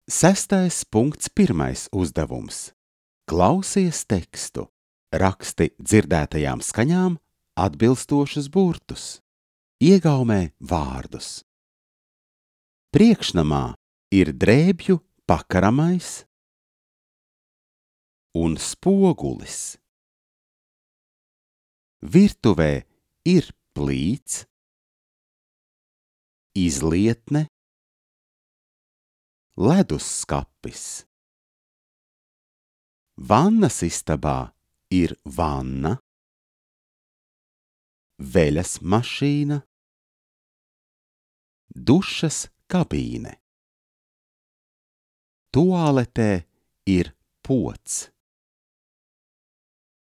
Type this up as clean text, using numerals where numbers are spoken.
6.1. uzdevums. Klausies tekstu. Raksti dzirdētajām skaņām atbilstošus burtus. Iegaumē vārdus. Priekšnamā ir drēbju pakaramais un spogulis. Virtuvē ir plīts, izlietne, ledusskapis. Vannas istabā ir vanna, veļas mašīna, dušas kabīne. Tualetē ir pods.